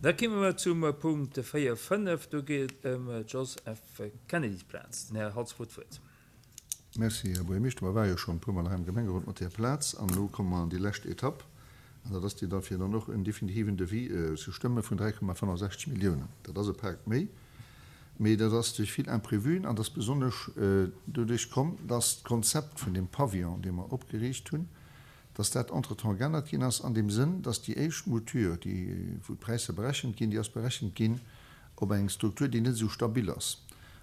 Da kimme mer zum Punkt 4, 5. Do geet et ëm d'Jos. F. Kennedy-Plaz. Den Här Halsbach huet d'Wuert. Merci, Här Buergermeeschter. Mer ware jo schonn e puermol hei am Gemengerot mat där Plaz an elo komme mer an déi lescht Etapp an dat ass déi da fir dann och en definitiven Devis ze stëmme vun 3,65 Milliounen. Dat ass e Pak méi, mee dat ass duerch vill Imprévuen an dat ass besonnesch doduerch komm, dass d'Konzept vun deem Pavillon, dee mer opgeriicht hunn, dass dat entretemps geännert ginn ass an deem Sënn, dass déi éischt Mouture, déi wou d'Präisser berechent ginn, déi ass berechent ginn op eng Struktur, déi net esou stabil ass.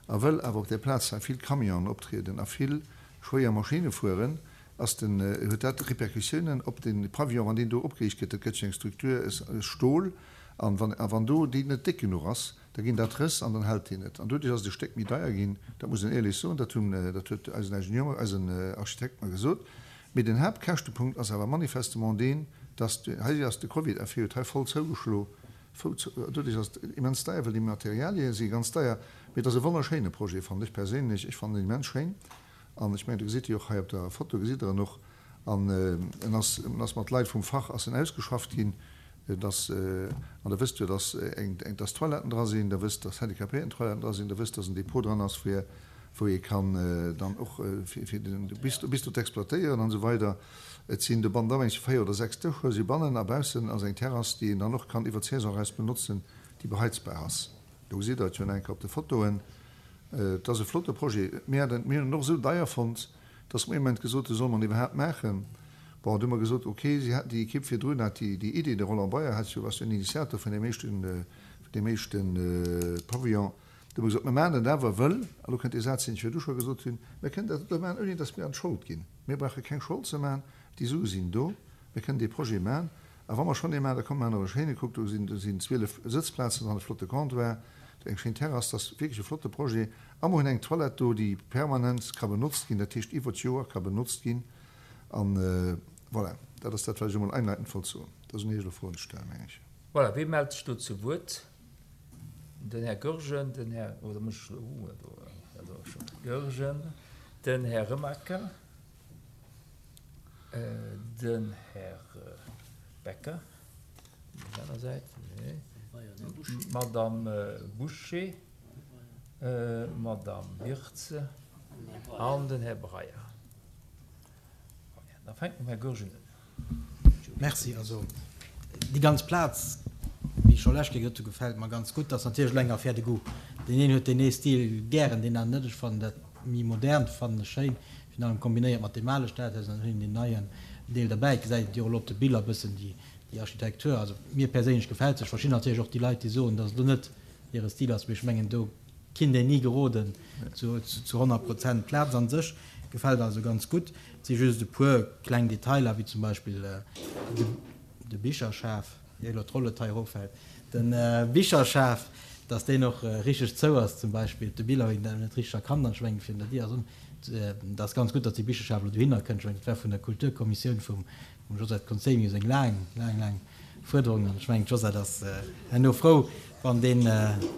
A wëll awer op där Plaz hei vill Camionen optrieden a vill schwéier Maschinne fueren, ass den, huet dat Répercussiounen op de Pavillon, wann deen do opgeriicht gëtt. Dat gëtt jo eng Struktur aus Stol, an wann, a wann do déi net déck genuch ass, da ginn dat Rëss an dann hält deen net. An doduerch ass et e Stéck méi deier ginn, dat muss een éierlech soen, dat hunn, dat huet eisen Ingenieur, eisen Architekt mer gesot. Mee den Haaptkäschtepunkt ass awer manifestement deen, dass, hei ass de Covid-Effet huet hei voll zougeschlo, doduerch ass et immens deier, well déi Materialie si ganz deier. Mee et ass e wonnerschéine Projet, fannen ech perséinlech. Ech fannen en immens schéin an ech mengen, do gesitt Dir och hei op der Foto gesitt Der en och. An en ass, en ass mat Leit vum Fach ass en ausgeschafft ginn. Et ass, an Der wësst jo, dass eng, dass Toiletten dra sinn, Der wësst, dass Handicapéierten-Toiletten dra sinn, Der wësst, dass en Depot dran ass, fir, wou ee kann dann och fir, fir den Bistro, Bistro z'exploitéieren an esou weider. Et sinn do bannen dra eng 4 oder 6 Dëscher si bannen a baussen ass eng Terrass, déi een dann och kann iwwer d'Saison eraus benotzen, déi beheizbar ass. Do gesitt Der et jo nach eng Kéier op de Fotoen. Et ass e flotte Projet. Mir haten, mir hunn en och esou deier fonnt, dass mer ee Moment gesot hunn, solle mer en iwwerhaapt maachen? Bon, du hu mer gesot, ok, si haten déi Ekipp virdrun hat déi déi Idee, de Roland Beyer hat jo, ass jo en Initiator vun deem éischten, vun deem éischte Pavillon. Du hu mer gesot, mer maachen dat awer, wëll, a lo kënnt dee Saz, deen ech virdu scho gesot hunn, mer kënnen dat elo maachen, ouni dass mir an d'Schold ginn. Mir brauche keng Schold ze maachen, déi Sue sinn do, mir kënnen dee Projet maachen. A wa mer schonn ee maachen, da komm mer maachen och e schéine. Kuckt, do sinn, do sinn 12 Sëtzplazen dran, e flotte Comptoir, eng schéin Terrass, dat ass wierklech e flotte Projet. A mer hunn eng Toilette do, déi permanent ka benotzt ginn, dat heescht iwwer d'Joer ka benotzt ginn. An voilà, dat ass dat, wat ech emol einleitend wollt soen. Da sinn Iech elo Froen ze stellen, meng ech. Voilà, wee mellt sech do zu Wuert? Den Här Goergen, den Här, oh, da muss ech elo, uh, do, dat ass scho Goergen, den Här Remaker, den Här Becker, op der aner Säit, nee, d'Madame Bouché, d'Madame Wirtz an den Här Breyer. Da fänke mer mam Här Goergen un. Merci. Also déi ganz Plaz, wéi ech scho lescht Kéier gesot hu, gefält mer ganz gutt. Dat ass natierlech elo eng Affaire de goût. Deen een huet deen ee Stil gären, deen aneren net. Ech fannen dat méi modernt fannen ech schéin, virun allem kombinéiert mat deem ale Stadhaus an dann hunn een deen neien Deel derbäi. Et gesäit et jo och elo op de Biller e bëssen déi Architektur. Also mir perséinlech gefält se. Ech verstinn natierlech och déi Leit, déi soen, datt et elo net hire Stil ass, mee ech mengen do kinnt een ni geroden zu 100 Prozent. D'Plaz an sech gefält also ganz gutt. Et si just e puer kleng Detailer, wéi zum Beispill de Bicherschaf, ier elo d'Rolled hei eroffält, de Bicherschaf, dass deen och richteg zou ass zum Beispill. Op de Biller huet een dat net richteg erkannt an ech mengen virun der Dier ass un. Et ass ganz gutt, dass dee Bicherschaf elo dohinner kënnt. Ech mengen, dat war vun der Kulturkommissioun vum Josette Conzemius eng laang, laang, laang Fuerderung an ech mengen, d'Josette ass herno frou, wann deen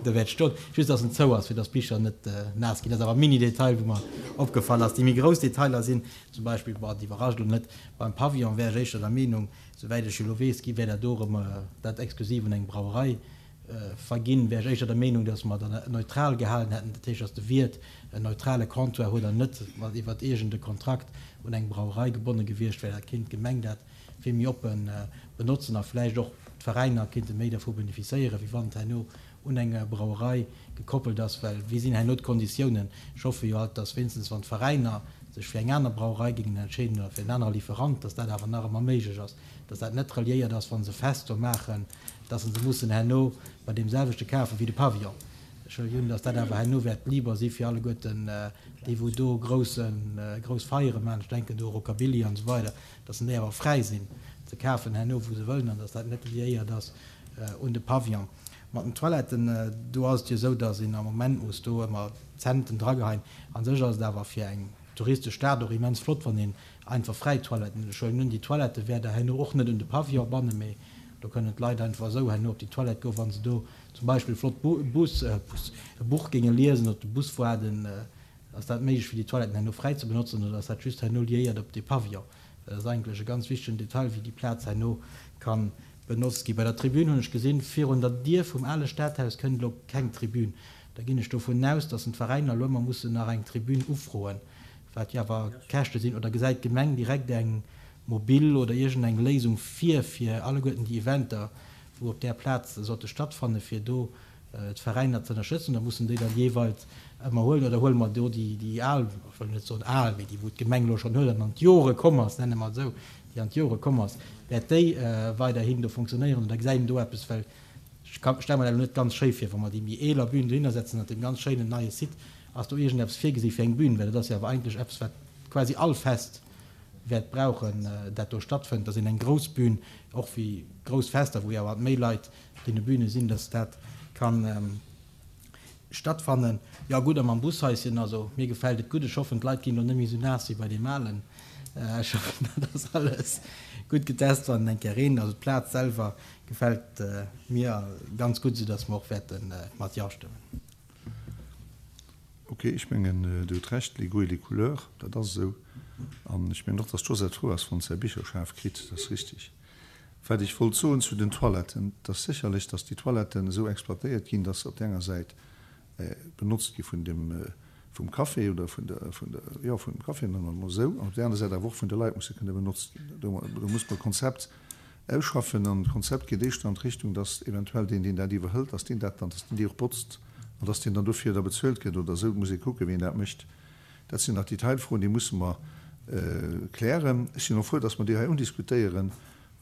do wäert stoen. Just, dass en zou ass, fir dass d'Bicher net naass ginn. Dat ass awer e Mini-Detail, wou mer opgefall ass. Déi méi grouss Detailer sinn zum Beispill, bon, dat iwwerrascht elo net, beim Pavillon wär ech éischter der Meenung, souwäit ech elo weess, gi wär dat do erëm dat exklusiv un eng Brauerei verginn, wär ech éischter der Meenung, dass mer dat neutral gehalen hätten, dat heescht, dass de Wiert en neutrale Comptoir huet an net mat iwwert iergend e Kontrakt un eng Brauerei gebonne gewiescht wär. Dat kéint d'Gemeng dat vill méi oppe benotzen a vläicht och d'Veräiner kéinte méi dervu benefisséieren, wéi wann et herno un eng Brauerei gekoppelt ass. Well wéi sinn herno d'Konditiounen? Ech hoffe jo alt, dass wéinstens wann d'Veräiner sech fir eng aner Brauerei géingen entscheeden oder fir en anere Lieferant, dass dat awer nach ëmmer méiglech ass, dass dat net reliéiert ass, wa se Fest do maachen, dass se se mussen herno bei deem selwechte kafen wéi de Pavillon. Ech huelen un, dass dat awer herno wäert liber si fir alleguerten déi wou do grouss Feiere maachen, ech denken do u Rockabilly an esou weider, dass en déi awer fräi sinn ze kafen herno wou se wëllen an dass dat net liéiert ass un de Pavillon. Mat den Toiletten, do ass et jo esou, dass een am Moment muss do ëmmer Centen drageheien. A sech ass et awer fir eng touristesch Stad och immens flott, wann een einfach fräi Toiletten huet. Ech huelen un, déi Toilette wäert Der herno och net un de Pavillon bannen, mee do kënnen d'Leit einfach esou herno op déi Toilette goen, wa se do zum Beispill e flott Bus, Bus, e Buch géinge liesen, op de Bus waarden. Ass dat méiglech fir déi Toiletten herno fräi ze benotzen oder ass dat just herno liéiert op dee Pavillon? Well dat ass eigentlech e ganz wichtegen Detail, wéi déi Plaz herno ka. benotzt ginn. Bei der Tribün hunn ech gesinn, virun der Dier vum ale Stadhaus kënnt elo keng Tribün. Da ginn ech dovun aus, datt en d'Veräiner elo ëmmer mussen nach eng Tribün ufroen, wat jo awer Käschte sinn. Oder gesäit d'Gemeng direkt eng mobil oder iergendeng Léisung vir, fir alleguerten déi Eventer, wou op där Plaz sollte stattfannen, fir do d'Veräiner ze ënnerstëtzen? Oder mussen déi dann jeeweils ëmmer huelen? Oder huele mer do déi al, ech wëll net soen al, mee déi wou d'Gemeng elo schonn huet an an d'Jore komm ass, nenne mer et esou, déi an d'Jore komm ass, wäert déi weiderhin do funktionéieren? Oder gesäit een do eppes? Well ech stelle mer dat elo net ganz schéi vir, wa mer déi méi eeler Bühn dohinner setzen an deem ganz schéinen neie Site. Ass do iergendeppes virgesi fir eng Bühn? Well dat ass jo awer eigentlech eppes, wat quasi all Fest wäert brauchen, dat do stattfënnt, dass een eng grouss Bühn, och wéi grouss Fester, wou jo awer méi Leit op deene Bühne sinn, dass dat ka stattfannen. Jo gutt, a mam Bushaischen, also mir gefält et gutt. Ech hoffen, d'Leit ginn elo net méi esou naass wéi bei deem alen. Ech hoffen, dat ass alles gutt getest, wann et eng Kéier reent. Also d'Plaz selwer gefält mir ganz gutt, soudass mer och wäerte mat Jo stëmmen. Ok, ech mengen, Dir hutt Recht, les goûts et les couleurs, dat ass esou. An ech mengen och, dass d'Josette frou ass, wann se säi Bicherschaf kritt, dat ass richtig. Wat ech wollt soen zu den Toiletten, et ass sécherlech, dass déi Toiletten esou exploitéiert ginn, dass se op där enger Säit benotzt gi vun dem, vum Café oder vun der, vun der, jo, vum Café, nennen mer et emol esou, an op där aner Säit awer och vun de Leit musse kënne benotzt ginn. Do, do muss mer e Konzept ausschaffen an d'Konzept geet éischter an d'Richtung, dass eventuell deen, deen dat iwwerhëlt, dass deen dat dann, dass deen déi och botzt an dass deen dann dofir da bezuelt gëtt oder esou. Et muss ee kucken, wéi een dat mécht. Dat sinn nach Detailfroen, déi musse mer klären. Ech sinn och frou, dass mer déi hei undiskutéieren,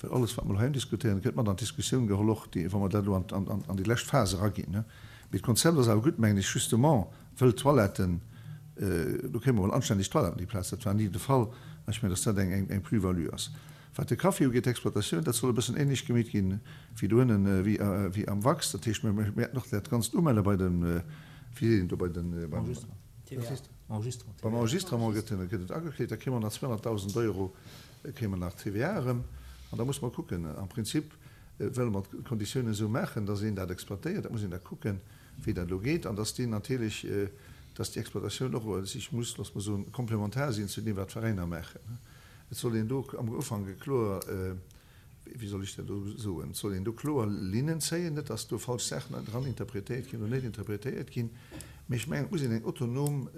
well alles, wat mer elo hei undiskutéieren, gëtt mat an d'Diskussioun geholl, och déi, wa mer dat elo an déi lescht Phas eraginn. Mee d'Konzept ass awer gutt, mengen ech, justement wëll d'Toiletten, do kréie mer emol anstänneg Toiletten op déi Plaz, dat war ni de Fall, an ech mengen, dass dat eng Plus-value ass. Wat de Café ugeet, d'Exploitatioun, dat soll e bëssen ähnlech gemeet ginn wéi doënnen, wéi am Wax. Dat heescht, mir wäerten och dat Ganzt umelle bei den, wéi seet een do, bei den, beim Enregistrement gëtt et agekleet. Da kréie mer nach 200.000 Euro kréie mer nach TVA erëm. An da musse mer kucken, am Prinzip wëlle mer d'Konditiounen esou maachen, dass een dat exploitéiert. Dat muss een da kucken, wéi dat elo geet. An dass deen natierlech, dass déi Exploitatioun och sech muss, loosse mer soen, komplementar sinn zu deem, wat d'Veräiner maachen. Et soll een do am Ufank e kloer, wéi soll ech dat elo soen, et soll een do kloer Linnen zéien, net dass do falsch Saachen dran interpretéiert ginn oder net interpretéiert ginn. Mee ech mengen, et muss een eng autonom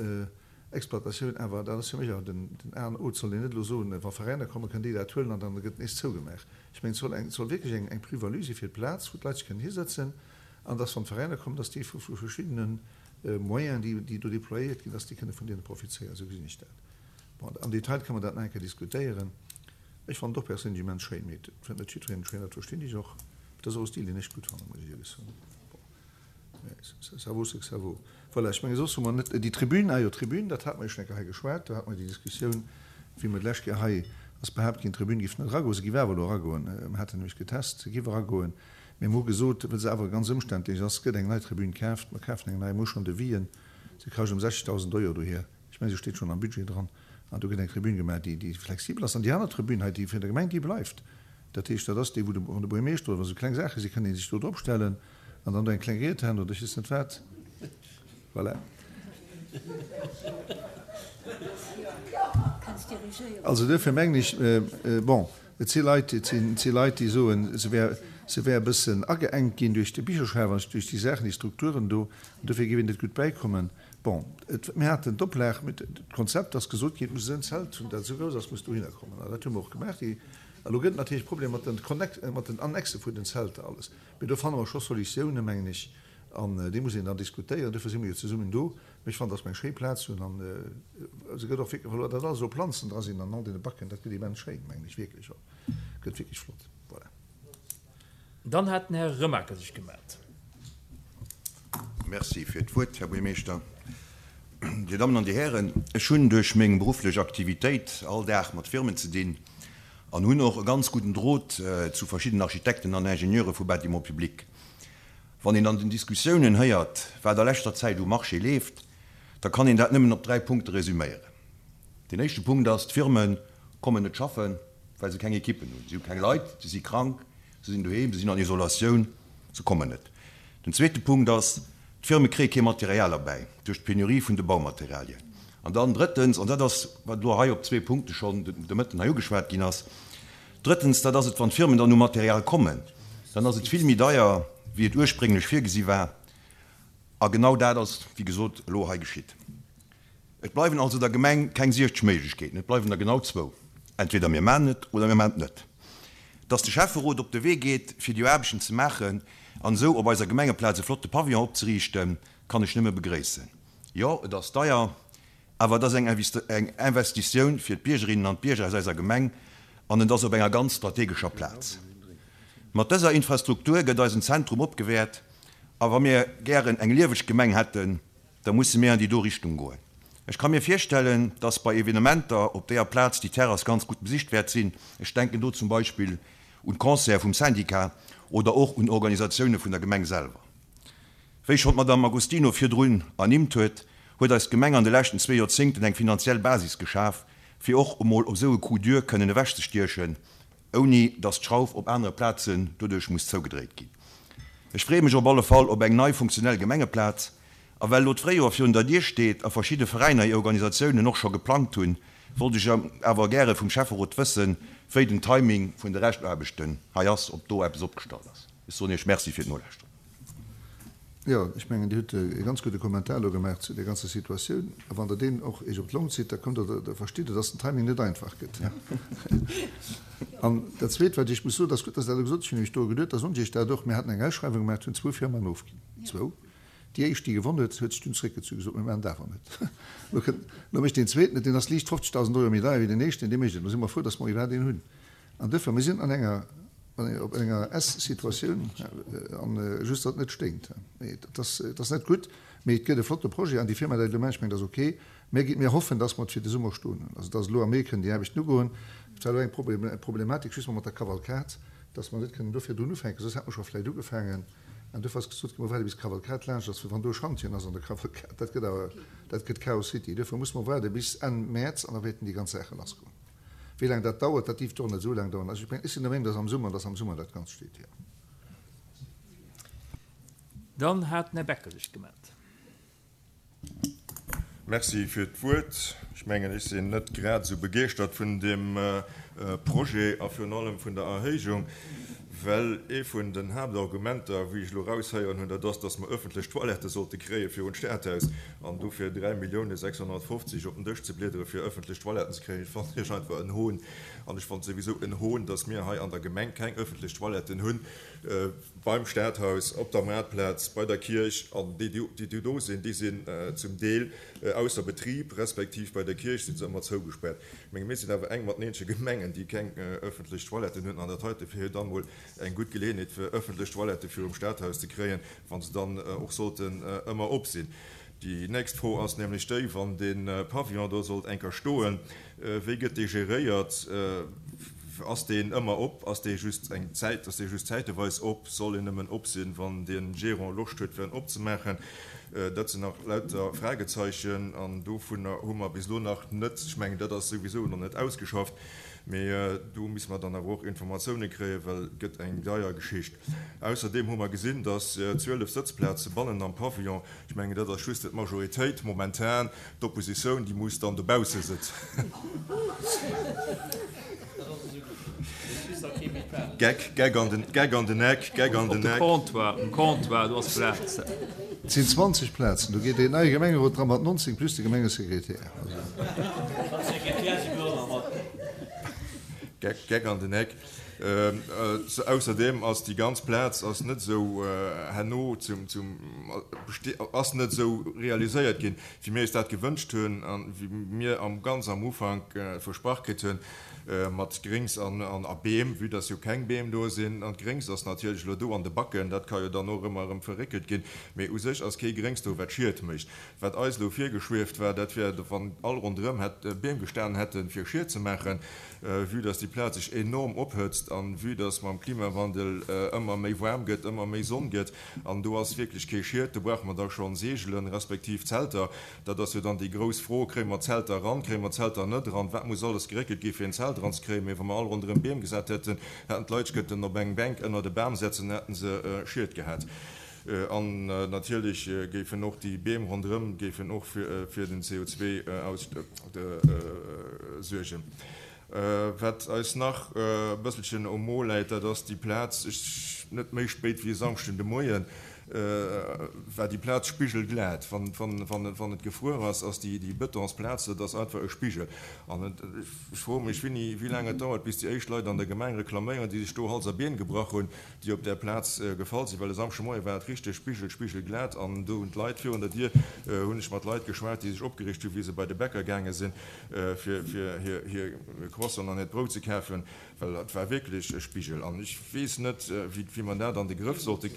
Exploitatioun awer, dat ass fir mech awer den A an O, et soll een net elo soen, wa Veräiner kommen, kënnen déi dat huelen an dann gëtt nees zougemaach. Ech mengen, et soll eng, et soll wierklech eng, eng Plus-value si fir d'Plaz, wou d'Leit sech kënnen hisëtzen an dass, wann d'Veräiner kommen, dass déi vu verschiddene Moyenen, déi, déi do déployéiert ginn, dass déi kënne vun deene profizéieren. Esou gesinn ech dat. Bon, am Detail kënne mer dat nach eng Kéier diskutéieren. Ech fannen et och perséinlech immens schéin, mee et fënnt net jiddwereen et schéin, dat verstinn ech och. Et ass och e Stil, deen ech gutt fannen, muss ech éierlech soen. Bon, mais ça vaut ce que ça vaut. Voilà, ech menge soss hu mer net déi Tribün, ah jo, d'Tribün, dat hate mer jo schonn eng Kéier hei geschwat, do hate mer déi Diskussioun, wéi mer d'lescht Kéier hei ass behaapt ginn, d'Tribün géif net eragoen. Se géif awer elo eragoen. Mer haten nämlech getest, se géif eragoen, mee mer hu gesot, wëll se awer ganz ëmständlech ass, gëtt eng nei Tribün kaaft. Mer kafen eng nei, mer hu schonn Devisen, se kascht ëm 60.000 Euro dohier. Ech mengen, se steet schonn am Budget dran. An do gëtt eng Tribün gemaach, déi, déi flexibel ass. An déi aner Tribün hei, déi vun der Gemeng, déi bleift. Dat heescht, dat ass déi, wou de, wann de Buergermeeschter oder wa sou kleng Saache sinn, kënnt ee sech do drop stellen an dann do eng kleng Ried halen oder ech weess net wat. Voilà. Also duerfir mengen ech, bon, et si Leit, et sinn, et si Leit, déi soen, se wär, se wär e bëssen ageengt ginn duerch de Bicherschaf an duerch déi Saachen, déi Strukturen do, an dofir géif een net gutt bäikommen. Bon, et, mir haten d'Oplag, mir, d'Konzept ass gesot ginn, et muss en Zelt hunn, dat esou grouss ass, muss dohinner kommen. An dat hu mer och gemaach. Déi, elo gëtt et natierlech Problemer mat den Connect, mat den Annexe vun den Zelter alles. Mee do fanne mer scho Solutiounen, mengen ech, an déi muss een dann diskutéieren. Dofir si mer jo zesummen do. Mee ech fannen, dass mer eng schéi Plaz hunn an se gëtt och wierklech, well dat alles elo Planzen dra sinn an all deene Backen, dat gëtt immens schéin, mengen ech wierklech och. Gëtt wierklech flott. Voilà. Dann hat den Här Remaker sech gemellt. Merci fir d'Wuert, Här Buergermeeschter. Dir Dammen an Dir Hären, ech hunn duerch meng berufflech Aktivitéit all Dag mat Firmen ze dinn an hunn och e ganz gudden Drot zu verschiddenen Architekten an Ingenieure vu Bâtiments publics. Wann een an den Diskussiounen héiert, wat a leschter Zäit um Marché leeft, da kann een dat nëmmen op 3 Punkte resüméieren. Deen éischte Punkt ass, d'Firme kommen net schaffen, well se keng Ekippen hunn. Si hu keng Leit, se si krank, se sinn doheem, se sinn an Isolatioun, se kommen net. Den zweete Punkt ass, d'Firme kréie kee Material erbäi duerch d'Penurie vun de Baumaterialien. An dann drëttens, an dat ass, wat elo hei op zwee Punkte schonn de Mëtten hei ugeschwat ginn ass, drëttens, dat ass et, wann d'Firmen dann u Material kommen. Dann ass et vill méi deier, wéi et ursprénglech virgesi war. A genau dat ass, wéi gesot, elo hei geschitt. Et bleiwen also der Gemeng keng 60 Méiglechkeeten, et bleiwen der genau zwou, Entweder mir maachen et oder mir maachen et net. Dass de Schäfferot op de Wee geet, fir déi Aarbechten ze maachen an esou op eiser Gemengeplaz e flotte Pavillon opzeriichten, kann ech nëmme begréissen. Jo, et ass deier, awer et ass eng Investitioun fir d'Biergerinnen an d'Bierger aus eiser Gemeng an et ass op enger ganz strategescher Plaz. Mat dëser Infrastruktur gëtt eisen Zentrum opgewäert a wa mir gären eng lieweg Gemeng hätten, da musse mir an déi do Richtung goen. Ech ka mir virstellen, dass bei Evenementer op deeër Plaz déi Terrass ganz gutt besicht wäert sinn. Ech denken do zum Beispill un d'Concerte vum Syndicat oder och un Organisatioune vun der Gemeng selwer. Wéi schonn d'Madame Agostino virdrun ernimmt huet, huet eis Gemeng an de leschten zwee Joerzéngten eng finanziell Basis geschaf, fir och emol op esou e Coup dur kënnen ewechzestiechen, ouni dass d'Schrauf op anere Plazen doduerch muss zougedréit ginn. Ech freeë mech op alle Fall op eng nei funktionell Gemengeplaz. A well elo d'Fréijoer virun der Dier steet a verschidde Veräiner hir Organisatiounen och scho geplangt hunn, wollt ech awer gäre vum Schäfferot wëssen, wéi den Timing vun de Reschtaarbechten hei ass, ob do eppes opgestallt ass. Ech soen Iech Merci fir d'Nolauschteren. Jo, ech mengen, Dir hutt e ganz gudde Kommentar elo gemaach zu där ganzer Situatioun. A wann Der deen och Iech op d'Long zitt, da kommt Der, da verstitt Der, dass den Timing net einfach gëtt. An dat Zweet, wat ech muss soen, et ass gutt, dass Der dat elo gesot hutt, ech hunn nämlech do geduet, da soen ech Iech dat och, Mir haten eng Ausschreiwung gemaach, et hunn zwou Firmaen ofginn, zwou. Déi éischt, déi gewonn huet, huet sech dunn zréckgezu, gesot, Mir maachen et awer net. Elo kënnt, elo mécht deen Zweeten et, deen ass liicht 50.000 Euro méi deier wéi deen éischten, dee mécht et. Elo si mer frou, dass mer iwwerhaapt een hunn. An duerfir, mir sinn an enger, op enger S-Situatioun, an just, datt et net sténkt. Mee et ass, et ass net gutt, mee et gëtt e flotte Projet an déi Firma, déi et elo mécht, ech mengen, dat ass ok. Mir gi, mir hoffen, dass mer et fir de Summer stoen hunn, also dass elo am Mee kënnen déi Aarbechten ugoen. Et war elo eng Problematik just mat der Kavalkad, dass mer net kënnen do virdrun ufänken, soss hätte mer scho vläicht ugefaangen. An duerfir ass gesot ginn, mer waarde bis d'Kavalkad laanscht ass, well wann do e Schantjen ass an der Kavalkad, dat gëtt awer, dat gëtt Chaos City. Duerfir musse mer waarde bis Enn Mäerz an da wäerten déi ganz Saache lassgoen. Wéi laang dat dauert, dat dierft och net esou laang daueren. Also ech mengen, ech sinn der Meenung, dass am Summer, dass am Summer dat Ganzt steet, jo. Dann hat den Här Becker sech gemellt. Merci fir d'Wuert. Ech mengen, ech sinn net grad esou begeeschtert vun deem Projet a virun allem vun der Erhéijung, well ee vun den Haaptargumenter, wéi ech elo eraushéieren hunn, dat ass, dass mer öffentlech Toilettë sollte kréie virun d'Stadhaus. An dofir 3.650.000 op den Dësch ze bliedere fir öffentlech Toiletten ze kréien, fannen ech einfach en Hohn. An ech fannen et souwisou en Hohn, dass mir hei an der Gemeng keng öffentlech Toiletten hunn. Beim Stadhaus, op der Maartplaz, bei der Kierch, an déi, déi do sinn, déi sinn zum Deel ausser Betrib, respektiv bei der Kierch si se ëmmer zougespaart. Ech menge mir sinn awer eng mat den eenzege Gemengen, déi keng ëffentlech Toiletten hunn, an dat heite wier jo dann emol eng gutt Geleeënheet, fir ëffentlech Toilette virum Stadhaus ze kréien, wa se dann och sollten ëmmer op sinn. Déi nächst Fro ass nämlech déi, wann dee Pavillon do sollt eng Kéier stoen, wéi gëtt dee geréiert? Ass deen ëmmer op? Ass dee just eng Zäit, ass dee just zäiteweis op? Soll en nëmmen op sinn, wann de Gérant Loscht huet, fir en opzemaachen? Dat sinn nach lauter Fragezeichen an dovunner hu mer bis elo nach net, ech mengen, dat ass souwisou nach net ausgeschafft, mee do misse mer dann awer och Informatioune kréien, well et gëtt eng deier Geschicht. Ausserdeem hu mer gesinn, dass 12 Sëtzplaze bannen am Pavillon Ech mengen, dat ass just d'Majoritéit momentan. D'Oppositioun, déi muss dann dobausse sëtzen. Geck, Geck an den, Geck an den Eck, Geck an den Eck. Op de Comptoir, um Comptoir, do ass Plaz. Et sinn 20 Plazen, do geet deen neie Gemengerot dra mat 19 plus de Gemengesekretär. Geck, Geck an den Eck. Ausserdeem ass déi ganz Plaz ass net esou herno zum, zum, ass net esou realiséiert ginn, wéi mir eis dat gewënscht hunn a wéi mir am ganz am Ufank versprach kritt hunn, mat Gréngs an a Beem, vue dass jo keng Beem do sinn. An d'Gréngs ass natierlech elo do an de Backen, dat ka jo dann och ëmmer erëm verréckelt ginn, mee u sech ass kee Gréngs do, wat Schied mécht. Wat eis elo virgeschwieft war, dat wär, wann all ronderëm hätt Beem gestanen hätten, fir Schied ze maachen. Vue dass déi Plaz sech enorm ophëtzt an vue dass mam Klimawandel ëmmer méi waarm gëtt, ëmmer méi Sonn gëtt an do ass wierklech kee Schied, do brauche mer da schonn Seegelen, respektiv Zelter. Dat ass jo dann déi grouss Fro, Kréie mer Zelter eran, kréie mer Zelter net eran, wat muss alles geréckelt gi fir en Zelt eranzekréien? Mee wa mer all ronderëm Beem gesat hätten, hätten d'Leit sech kënnten op eng Bänk ënnert e Bam setzen, hätten se Schied gehat. An natierlech géifen och déi Beem ronderëm géifen och fir den CO2 suergen. Wat eis nach e bësselchen um Mo läit, dat ass déi Plaz. net méi spéit wéi e Samschden de Moien, war déi Plaz spigelglat. Wann et gefruer ass, ass déi Betonsplaz, dat ass einfach e Spigel. An ech froe mech, wéini, wéi laang et dauert, bis déi éischt Leit an der Gemeng reklaméieren, déi sech do Hals a Been gebrach hunn, déi op där Plaz gefall sinn. Well e Samschdemoie war et richteg spigel, spigelglat. An do hunn d'Leit virun der Dier, hunn ech mat Leit geschwat, déi sech opgereegt hunn, wéi se bei de Bäcker gaange sinn, fir hir Croissanten an hiert Brout ze kafen. Well et war wierklech e Spigel. An ech weess net, wéi mer dat an de Grëff sollte,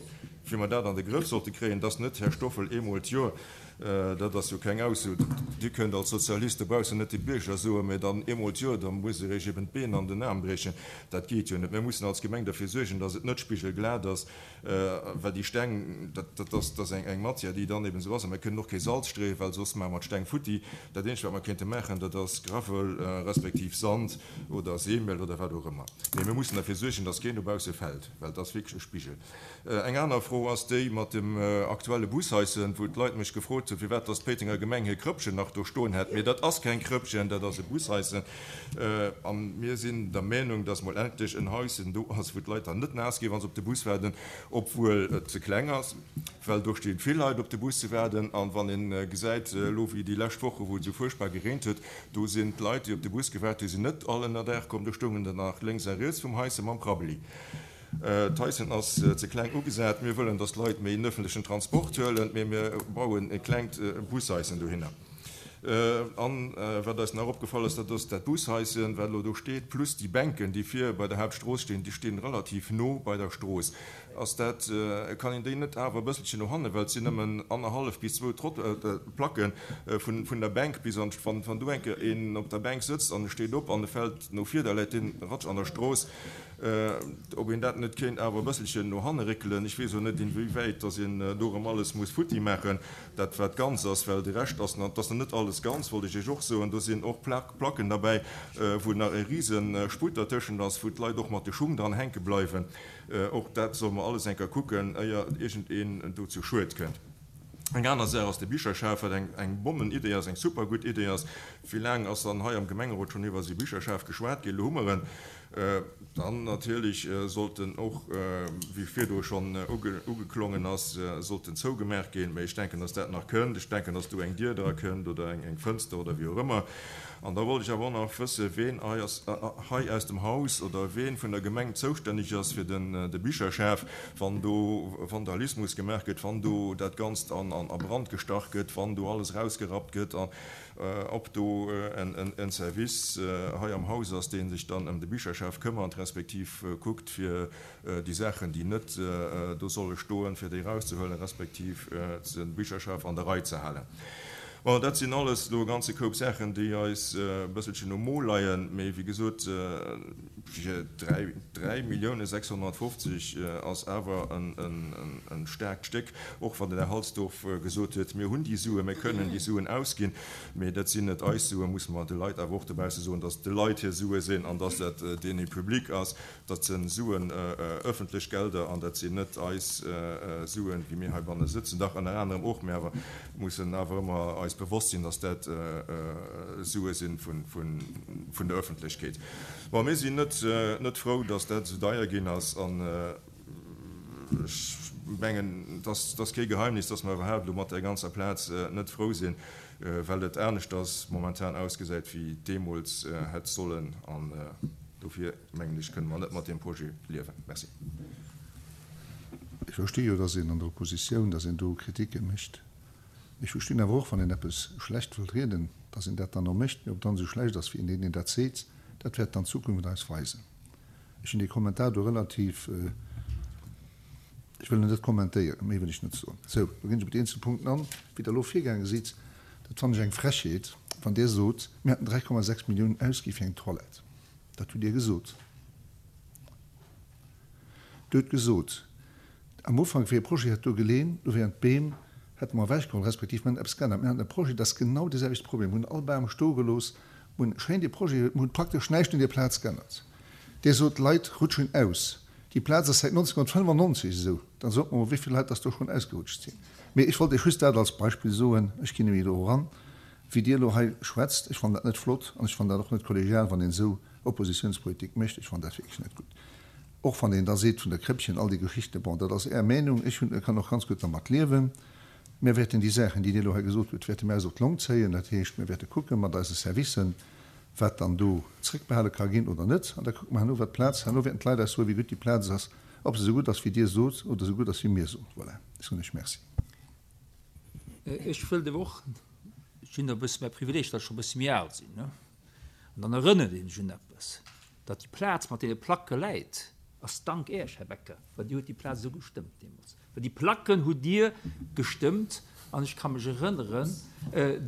wéi mer dat an de Grëff sollte kréien, dass net, Här Stoffel, eemol d'Joer, dat ass jo keng Ausso, Dir kënnt als Sozialist dobaussen net de Bierger soen, mä dann eemol d'Joer, da muss Der Iech eben d'Been an den Aarm briechen. Dat geet jo net. Mir mussen als Gemeng derfir suergen, dass et net spigelglat ass. Well déi Steng, dat ass eng Matière, déi dann eben esou ass. A mir kënnen och kee Salz streeën, well soss maache mer d'Steng futti. Dat Eenzegt, wat mer kéinte maachen, dat ass Gravel respektiv Sand oder Seemiel oder wat och ëmmer. Mee mir mussen derfir suergen, dass keen dobausse fält, well et ass wierklech e Spigel. Eng aner Fro ass déi mat dem aktuelle Bushaischen, wou d'Leit mech gefrot hunn, firwat dass d'Péitenger Gemeng hir Krëppchen nach do stoen hätt. Mee dat ass keng Krëppchen, dat ass e Bushaischen. A mir sinn der Meenung, dass mol endlech en Haischen do ass, wou d'Leit dann net naass ginn, wa se op de Bus waarden, obwuel et ze kleng ass, well do sti vill Leit op de Bus ze waarden. A wann ee gesäit elo wéi déi lescht Woche wou et esou fuerchtbar gereent huet, do sinn d'Leit, déi op de Bus gewaart hunn, sinn net all ënnerdaach komm, do stoungen der nach lénks a riets vum Haisse mam Prabbeli. D'Haischen ass ze kleng ugesat. Mir wëllen, dass d'Leit méi en öffentlechen Transport huelen, mee mir bauen e klengt Bushaischen dohinner. An wat eis nach opgefall ass, dat ass dat Bushaischen, wat elo do steet, plus déi Bänken, déi vir bei der Hauptstrooss stinn, déi stinn relativ no bei der Strooss. Ass dat, kann een déi net awer e bësselchen no hannen, well et sinn nëmmen annerhallef bis zwou Trott, Placke vun der Bänk bis an, wann do eng Kéier een op der Bänk sëtzt an e steet op an e fält no vir, da läit deen ratsch an der Strooss. Ob een dat net kéint awer e bësselchen no hanne réckelen, ech weess och net, inwiewäit dass een do erëm alles muss futti maachen. Dat wat ganz ass, well de Rescht ass nach, et ass nach net alles ganz, wollt ech Iech och soen, do sinn och Placken derbäi, wou nach e rise Sputt dertëschent ass, wou d'Leit och mat de Schung dran hänke bleiwen. Och dat solle mer alles eng Kéier kucken, éier iergendeen do zu Schued kënnt. Eng aner Saach ass de Bicherschaf, wat eng Bommenidee ass, eng super gutt Idee ass. Wéi laang ass dann hei am Gemengerot schonn iwwer esou Bicherschaf geschwat ginn? Elo hu mer en. Dann natierlech sollt en och, wéi virdru schonn ugeklongen ass, sollt en zougemaach ginn. Mä ech denken, dass dat nach kënnt. Ech denken, dass do eng Dier dra kënnt oder eng Fënster oder wéi och ëmmer. An da wollt ech awer och nach wëssen, ween hei aus dem Haus oder ween vun der Gemeng zoustänneg ass fir de Bicherschaf, wann do Vandalismus gemaach gëtt, wann do dat Ganzt a Brand gestach gëtt, wann do alles erausgerappt gëtt. Ob do en Service hei am Haus ass, dee sech dann ëm de Bicherschaf këmmert, respektiv kuckt, fir déi Saachen, déi net do solle stoen, fir déi erauszehuelen, respektiv de Bicherschaf an der Rei ze halen. Bon, dat sinn alles elo e ganze Koup Saachen, déi eis e bësselchen um Mo leien. Mee wéi gesot, fir 3 650 ass awer e staarkt Stéck, och wann den Här Halsdorf gesot huet, mir hunn déi Suen, mir kënnen déi Suen ausginn, mee dat sinn net eis Suen, muss mer de Leit awer och dobausse soen, dass et de Leit hir Sue sinn an dass dat Deniers publics ass. Dat si Suen, öffentlech Gelder, an dat sinn net eis Suen, wéi mir heibanne sëtzen, dach ënner anerem och, mä awer mussen awer ëmmer eis bewosst sinn, dass dat Sue si vun der Öffentlechkeet. Bon, mir sinn net net frou, dass dat esou deier ginn ass, an ech mengen, et ass kee Geheimnis, dass mer iwwerhaapt elo mat där ganzer Plaz net frou sinn, well et aneschters momentan ausgesäit, wéi et deemools hätt sollen. An dofir, mengen ech, kënne mer net mat deem Projet liewen. Merci. Ech versti jo, dass een an der Oppositioun, dass een do Kritike mécht. Ech verstinn awer och, wann een eppes schlecht wëllt rieden, dass een dat dann och mécht. Mee ob et dann esou schlecht ass, wéi deen, deen dat seet, dat wäert dann d'Zukunft eis weisen. Ech hunn dee Kommentar do relativ, ech wëll en net kommentéieren, méi wëll ech net soen. Sou, lo ginn ech op déi eenzel Punkten an. Wéi Der elo virgaange sidd, dat fannen ech eng Frechheet, wann Dir sot, mir hätten 3,6 Milliounen ausgi fir eng Toilette. Dat hutt Dir gesot. Dir hutt gesot, am Ufank wéi e Projet hätt do geleen, do wieren d'Beem, hätte mer ewechgeholl, respektiv mir hätten eppes geännert. Mir haten e Projet, dat ass genau dee selwechte Problem, mir hunn all Bam stoe gelooss, mir hunn schéin dee Projet, mir hunn praktesch näischt un där Plaz geännert. Dir sot, d'Leit rutschen aus. Déi Plaz ass säit 1995 esou. Dann sot mer mol, wéi vill Leit dass do schonn ausgerutscht sinn. Mee ech wollt Iech just dat als Beispill soen. Ech ginn nämlech elo eran, wéi Dir elo hei schwätzt. Ech fannen dat net flott an ech fannen dat och net kollegial, wann een esou Oppositionspolitik mécht. Ech fannen dat wierklech net gutt. Och wann een da seet vun der Kréppchen, all déi Geschichten, bon, dat ass Är Meenung, ech hunn, kann och ganz gutt dermat liewen. Mir wäerten déi Saachen, déi Dir elo hei gesot hutt, wäerte mir eis op d'Long zéien. Dat heescht, mir wäerte kucke mat eise Servicen, wat dann do zréckbehale ka ginn oder net. An da kucke mer herno, wat d'Plaz, herno wäerten d'Leit eis soen, wéi gutt déi Plaz ass, ob se esou gutt ass, wéi Dir sot, oder esou gutt ass, wéi mir soen. Voilà, ech soen Iech Merci. Ech wëllt awer och, ech hunn e bësse mäi Privileeg, datt ech scho e bësse méi al sinn, ne, an dann erënnert een sech un eppes, datt déi Plaz mat deene Placke läit, ass dank Äech, Här Becker, well Dir hutt déi Plaz esou gestëmmt deemools. Well déi Placken hutt Dir gestëmmt an ech ka mech erënneren,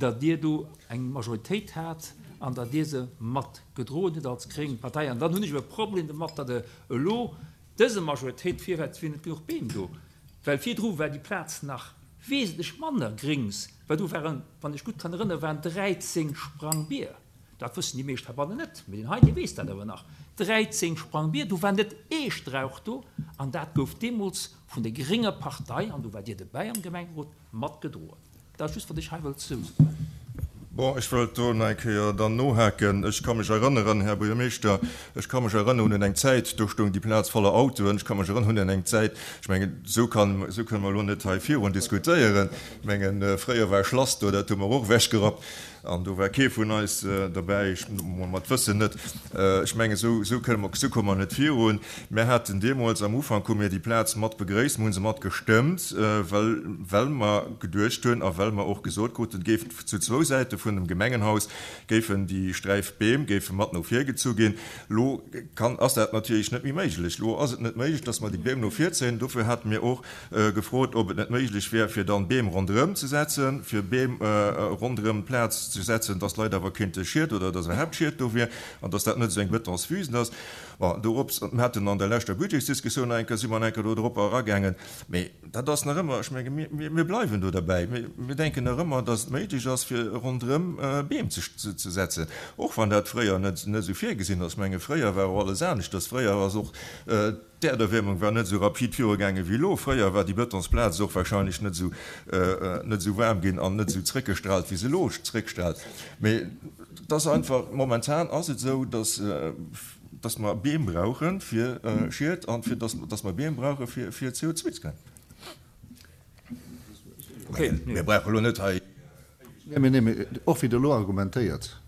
datt Dir do eng Majoritéit hat an datt Dir se mat gedroen hutt als gréng Partei. An dann hunn ech e Problem domat, datt Der elo dëse Majoritéit virwäert, et wier net genuch Beem do, well virdru war déi Plaz nach wesentlech manner grings, well do waren, wann ech gutt kann erënneren, waren 13 Sprangbier. Dat wëssen déi meescht heibannen net, mee deen hei, dee weess dat awer nach. 13 Sprangbier, do war net ee Strauch do, an dat gouf deemools vun der grénger Partei, an do waart Dir dobäi am Gemengerot, mat gedroen. Dat ass just, wat ech hei wëllt soen. Bon, ech wëllt do nach eng Kéier dann nohaken. Ech ka mech erënneren, Här Buergermeeschter, ech ka mech erënneren un eng Zäit, do stoung déi Plaz voller Autoen. Ech ka mech erënneren un eng Zäit, ech mengen, esou kann, esou kënne mer elo net hei virun diskutéieren. Ech mengen, fréier war e Schlass do, dat hu mer och ewechgerappt. An do war kee vun eis derbäi, ech mol mat Wëssen net. Ech mengen, esou, esou kënne mer, esou komme mer net virun. Mär haten deemools am Ufank hu mir déi Plaz mat begréisst, mir hu se mat gestëmmt, well, well mer geduecht hunn a well mer och gesot kruten, et géif zu zwou Säite vun dem Gemengenhaus géifen déi Sträif Beem géife mat no vir gezu ginn. Elo kann, ass dat natierlech net méi méiglech. Elo ass et net méiglech, dass mer déi Beem no vir zéien. Dofir hate mir och gefrot, ob et net méiglech wär, fir dann Beem ronderëm ze setzen, fir Beem ronderëm d'Plaz ze setzen, dass d'Leit awer kéinte Schied oder dass iwwerhaapt Schied do wier an dass dat net esou eng Betonswüst ass. Bon, dorops, mir haten an der leschter Budgetsdiskussioun nach eng Kéier, si mer nach eng Kéier do drop eragaangen, mee dat ass nach ëmmer, ech menge mir, mir bleiwen do derbäi, mir, mir denken nach ëmmer, dass et méiglech ass, fir ronderëm Beem ze, ze setzen, och wann dat fréier net, net esou virgesinn ass. Ech menge fréier war och alles aneschters, fréier ass och, D'Äerderwiermung war net esou rapid virugaange wéi elo. Fréier war déi Betonsplaz och warscheinlech net esou net esou waarm ginn an net esou zréckgestraalt, wéi se elo zréckstraalt. Mee et ass einfach, momentan ass et esou, datt datt mer Beem brauche fir Schied an fir datt datt mer Beem brauche fir fir CO2 ze kréien. Mir brauche elo net hei. Nee, mee, nee, mee och wéi Der elo argumentéiert,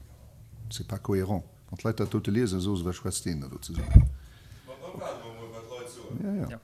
c'est pas cohérent. Wann d'Leit dat dote liesen, soe se, Wat schwätzt deen da do zesummen? Ma da waarde mer emol, wat d'Leit soen. Ja, ja.